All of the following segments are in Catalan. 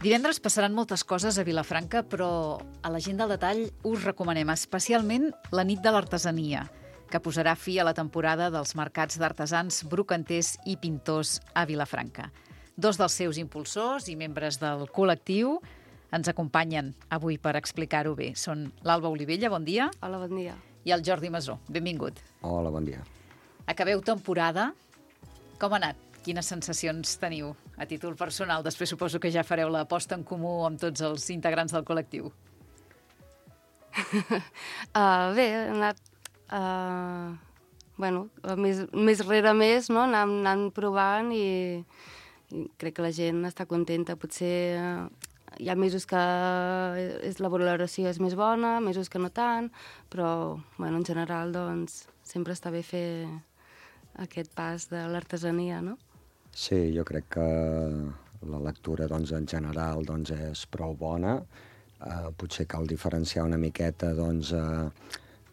Divendres passaran moltes coses a Vilafranca, però a la gent del detall us recomanem especialment la nit de l'artesania, que posarà fi a la temporada dels mercats d'artesans, brocanters i pintors a Vilafranca. Dos dels seus impulsors i membres del col·lectiu ens acompanyen avui per explicar-ho bé. Són l'Alba Olivella, bon dia. Hola, bon dia. I el Jordi Masó, benvingut. Hola, bon dia. Acabeu temporada. Com ha anat? Quines sensacions teniu a títol personal? Després suposo que ja fareu la posta en comú amb tots els integrants del col·lectiu. Bé, ha anat... més rere més, no? Anant provant i crec que la gent està contenta. Potser hi ha mesos que la valoració és més bona, mesos que no tant, però en general doncs, sempre està bé fer aquest pas de l'artesania, no? Sí, jo crec que la lectura doncs, en general doncs, és prou bona. Potser cal diferenciar una miqueta doncs,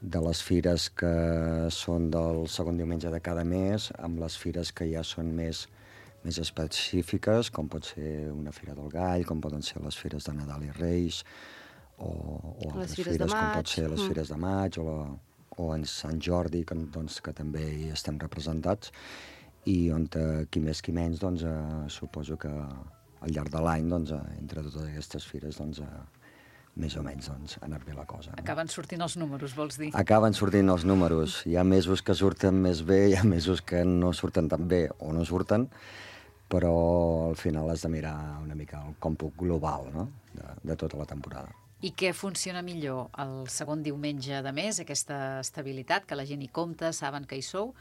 de les fires que són del segon diumenge de cada mes amb les fires que ja són més específiques, com pot ser una fira del Gall, com poden ser les fires de Nadal i Reis, o altres fires com pot ser les fires de maig o en Sant Jordi, que també hi estem representats, i on qui més qui menys doncs, suposo que al llarg de l'any doncs, entre totes aquestes fires doncs, més o menys doncs, ha anat bé la cosa. No? Acaben sortint els números, vols dir? Acaben sortint els números. Hi ha mesos que surten més bé, hi ha mesos que no surten tan bé o no surten, però al final has de mirar una mica el còmput global, no? de tota la temporada. I què funciona millor? El segon diumenge de mes, aquesta estabilitat, que la gent hi compta, saben que hi sou,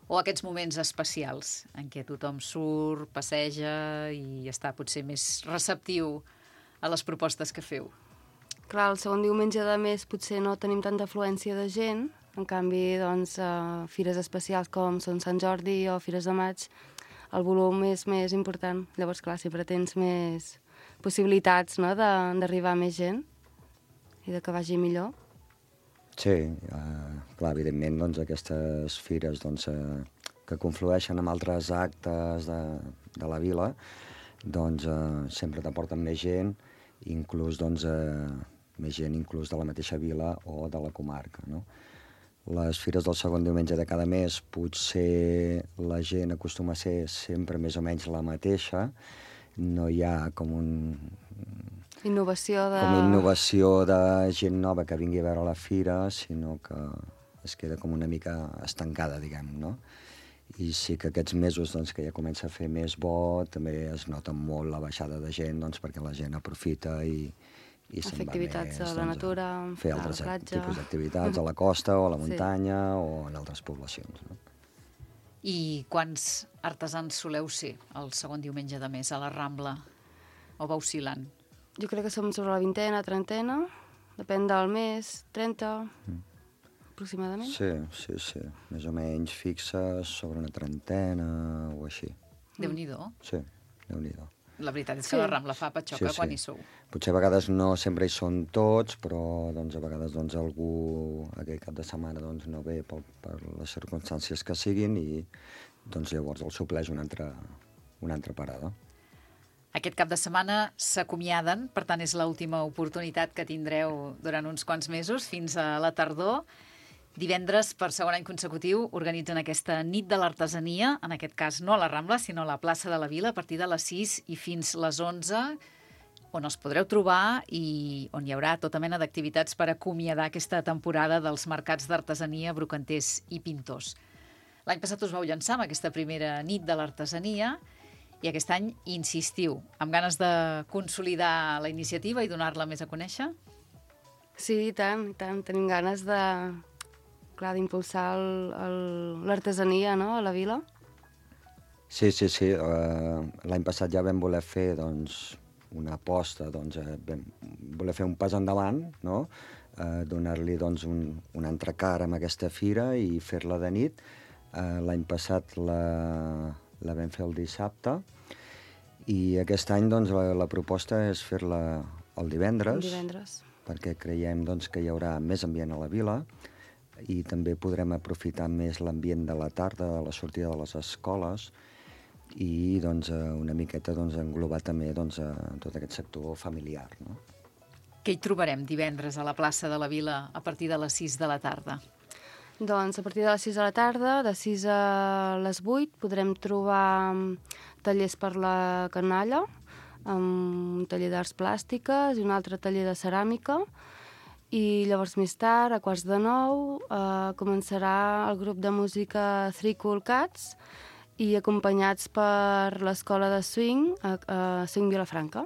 o aquests moments especials en què tothom surt, passeja i està potser més receptiu a les propostes que feu? Clar, el segon diumenge de mes potser no tenim tanta afluència de gent, en canvi, doncs, fires especials com són Sant Jordi o fires de maig, el volum és més important. Llavors, clar, sempre tens més possibilitats, no?, d'arribar a més gent i de que vagi millor. Sí, clar, evidentment, doncs, aquestes fires doncs, que conflueixen amb altres actes de la vila, doncs, sempre t'aporten més gent, inclús doncs, més gent inclús de la mateixa vila o de la comarca, no? Les fires del segon diumenge de cada mes potser la gent acostuma a ser sempre més o menys la mateixa, no hi ha com Innovació de gent nova que vingui a veure la fira, sinó que es queda com una mica estancada, diguem, no? I sí que aquests mesos doncs, que ja comença a fer més bo, també es nota molt la baixada de gent, doncs, perquè la gent aprofita i se'n va activitats més, a la natura, fer a la altres platja. tipus d'activitats a la costa o a la muntanya o en altres poblacions. No? I quants artesans soleu ser el segon diumenge de mes a la Rambla? O va oscil·lant? Jo crec que som sobre la vintena, trentena, depèn del mes, 30, aproximadament. Sí. Més o menys fixes sobre una trentena o així. Déu-n'hi-do. Sí, Déu-n'hi-do. La veritat és que la Rambla fa patxoca quan hi sou. Potser a vegades no sempre hi són tots, però doncs, a vegades doncs, algú aquell cap de setmana doncs, no ve per les circumstàncies que siguin i doncs, llavors el supleix una altra parada. Aquest cap de setmana s'acomiaden, per tant és l'última oportunitat que tindreu durant uns quants mesos, fins a la tardor. Divendres, per segon any consecutiu, organitzen aquesta nit de l'artesania, en aquest cas no a la Rambla, sinó a la plaça de la Vila, a partir de les 6 i fins les 11, on els podreu trobar i on hi haurà tota mena d'activitats per acomiadar aquesta temporada dels mercats d'artesania, brocanters i pintors. L'any passat us vau llançar amb aquesta primera nit de l'artesania i aquest any insistiu, amb ganes de consolidar la iniciativa i donar-la més a conèixer? Sí, i tant. Tenim ganes d'impulsar l'artesania, no?, a la vila. Sí. L'any passat ja vam voler fer doncs, una aposta, doncs, vam voler fer un pas endavant, no? Donar-li doncs, un entrecar amb aquesta fira i fer-la de nit. L'any passat la vam fer el dissabte i aquest any doncs, la proposta és fer-la el divendres. Perquè creiem doncs, que hi haurà més ambient a la vila i també podrem aprofitar més l'ambient de la tarda, de la sortida de les escoles, i doncs, una miqueta doncs, englobar també doncs, tot aquest sector familiar. No? Què hi trobarem divendres a la plaça de la Vila a partir de les 6 de la tarda? Doncs a partir de les 6 de la tarda, de 6 a les 8, podrem trobar tallers per la canalla, un taller d'arts plàstiques i un altre taller de ceràmica. I llavors més tard, a 8:45, començarà el grup de música Three Cool Cats i acompanyats per l'escola de swing, Swing Vilafranca.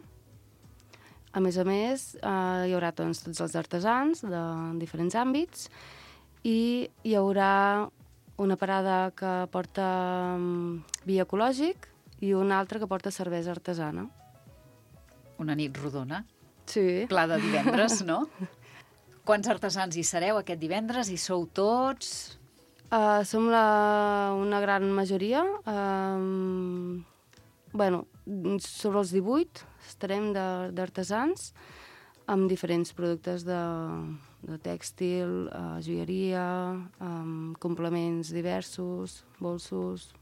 A més, hi haurà doncs, tots els artesans de diferents àmbits i hi haurà una parada que porta vi ecològic i una altra que porta cervesa artesana. Una nit rodona. Sí. Pla de divendres, no? Quants artesans hi sereu aquest divendres? Hi sou tots? Som una gran majoria. Sobre els 18 estarem d'artesans amb diferents productes de tèxtil, joieria, complements diversos, bolsos.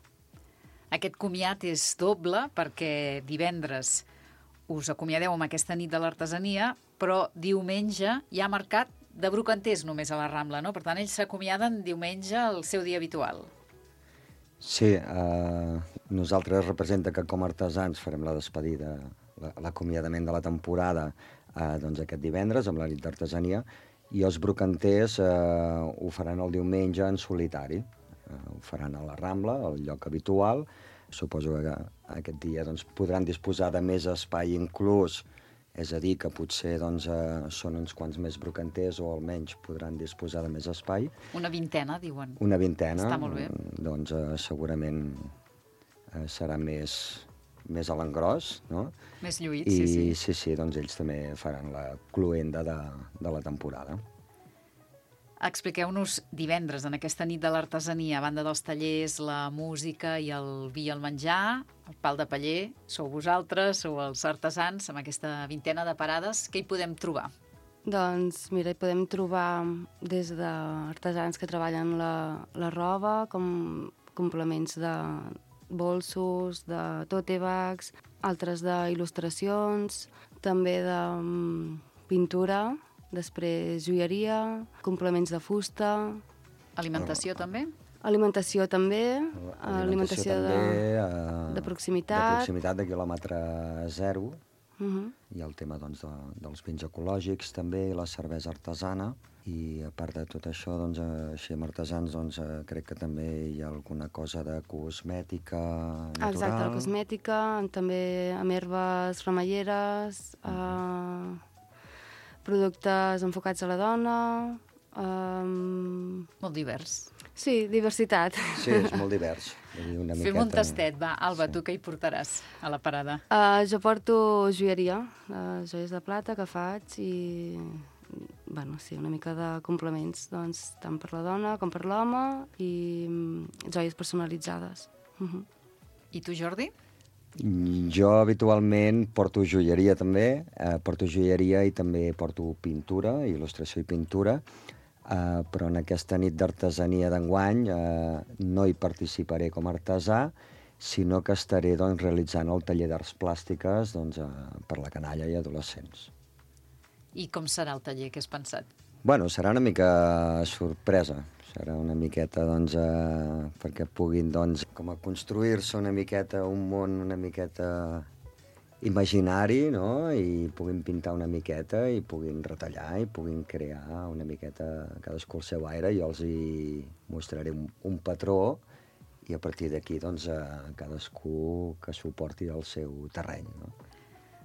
Aquest comiat és doble perquè divendres us acomiadeu amb aquesta nit de l'artesania, però diumenge hi ha mercat de brocanters només a la Rambla, no? Per tant, ells s'acomiaden diumenge al seu dia habitual. Sí, nosaltres representa que com a artesans farem la despedida, l'acomiadament de la temporada doncs aquest divendres amb la nit d'artesania i els brocanters ho faran el diumenge en solitari. Ho faran a la Rambla, al lloc habitual. Suposo que aquest dia doncs, podran disposar de més espai inclús, és a dir, que potser doncs, són uns quants més brocanters o almenys podran disposar de més espai. Una vintena, diuen. Una vintena. Està molt bé. Doncs segurament serà més a l'engròs, no? Més lluït, sí. Sí, doncs ells també faran la cluenda de la temporada. Expliqueu-nos divendres, en aquesta nit de l'artesania, a banda dels tallers, la música i el vi i el menjar, el pal de paller, sou vosaltres, sou els artesans, amb aquesta vintena de parades, què hi podem trobar? Doncs, mira, hi podem trobar des d'artesans que treballen la roba, com complements de bolsos, de tote bags, altres d'il·lustracions, també de pintura, després joieria, complements de fusta. Alimentació també? Alimentació també, alimentació també, de proximitat. De proximitat, de quilòmetre zero. Hi ha el tema doncs, dels vins ecològics també, i la cervesa artesana. I a part de tot això, doncs, així amb artesans, doncs, crec que també hi ha alguna cosa de cosmètica natural. Exacte, la cosmètica, també amb herbes remeieres, productes enfocats a la dona... Molt divers. Sí, diversitat. Sí, és molt divers. Fem un tastet, va. Alba, tu què hi portaràs a la parada? Jo porto joieria, joies de plata que faig i... sí, una mica de complements, doncs, tant per la dona com per l'home i joies personalitzades. I tu, Jordi? Jo habitualment porto joieria també, porto joieria i també porto pintura, il·lustració i pintura, però en aquesta nit d'artesania d'enguany no hi participaré com a artesà, sinó que estaré doncs, realitzant el taller d'arts plàstiques doncs, per la canalla i adolescents. I com serà el taller? Què has pensat? Bueno, serà una mica sorpresa. Serà una miqueta, doncs, perquè puguin, doncs, com a construir-se una miqueta un món una miqueta imaginari, no? I puguin pintar una miqueta i puguin retallar i puguin crear una miqueta cadascú el seu aire. Jo els hi mostraré un patró i a partir d'aquí, doncs, cadascú que s'ho porti al seu terreny, no?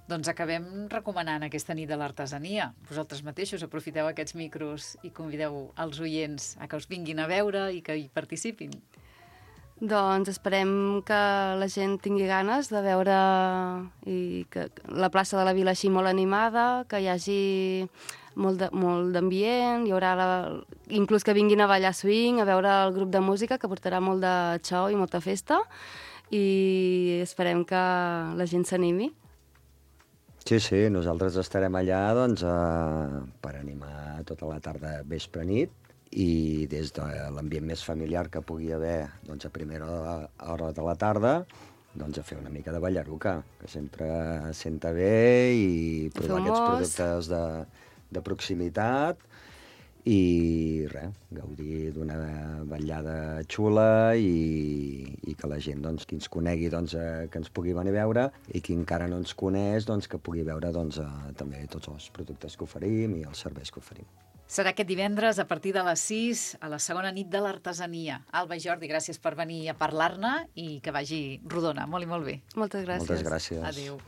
Doncs acabem recomanant aquesta nit de l'artesania. Vosaltres mateixos aprofiteu aquests micros i convideu els oients a que us vinguin a veure i que hi participin. Doncs esperem que la gent tingui ganes de veure i que la plaça de la Vila així molt animada, que hi hagi molt d'ambient, hi haurà inclús que vinguin a ballar swing, a veure el grup de música que portarà molt de xou i molta festa i esperem que la gent s'animi. Sí, nosaltres estarem allà doncs, per animar tota la tarda, vespre, nit, i des de l'ambient més familiar que pugui haver doncs, a primera hora de la tarda, doncs, a fer una mica de ballaruca, que sempre senta bé, i provar aquests productes de proximitat, i res, gaudir d'una vetllada xula i que la gent doncs, qui ens conegui doncs, que ens pugui venir a veure, i qui encara no ens coneix doncs, que pugui veure doncs, també tots els productes que oferim i els serveis que oferim. Serà aquest divendres a partir de les 6 a la segona nit de l'artesania. Alba i Jordi, gràcies per venir a parlar-ne i que vagi rodona. Molt i molt bé. Moltes gràcies. Moltes gràcies. Adéu.